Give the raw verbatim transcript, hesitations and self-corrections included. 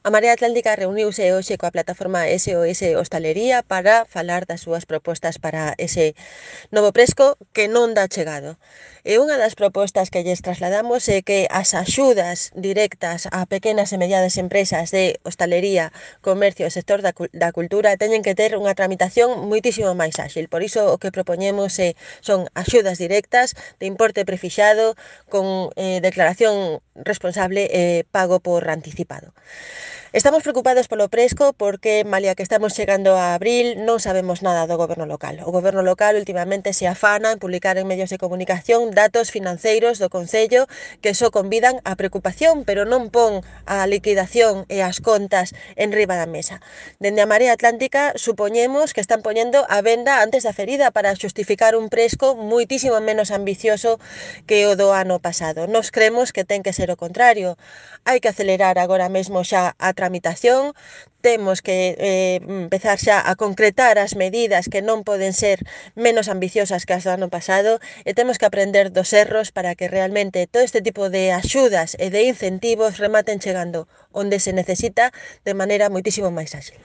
A Marea Atlántica reuniuse hoxe coa plataforma S O S Hostalería para falar das súas propostas para ese novo presco que non dá chegado. E unha das propostas que lles trasladamos é que as axudas directas a pequenas e medianas empresas de hostalería, comercio e sector da, da cultura teñen que ter unha tramitación moitísimo máis áxil. Por iso o que propoñemos é, son axudas directas de importe prefixado con eh, declaración responsable e eh, pago por anticipado. Estamos preocupados polo Presco porque, malia que estamos chegando a abril, non sabemos nada do goberno local. O goberno local últimamente se afana en publicar en medios de comunicación datos financeiros do Concello que só convidan a preocupación, pero non pon a liquidación e as contas en riba da mesa. Dende a Marea Atlántica supoñemos que están poñendo a venda antes da ferida para xustificar un Presco moitísimo menos ambicioso que o do ano pasado. Nos cremos que ten que ser o contrario. Hai que acelerar agora mesmo xa a tramitación, temos que eh, empezar xa a concretar as medidas que non poden ser menos ambiciosas que as do ano pasado e temos que aprender dos erros para que realmente todo este tipo de axudas e de incentivos rematen chegando onde se necesita de maneira moitísimo máis áxil.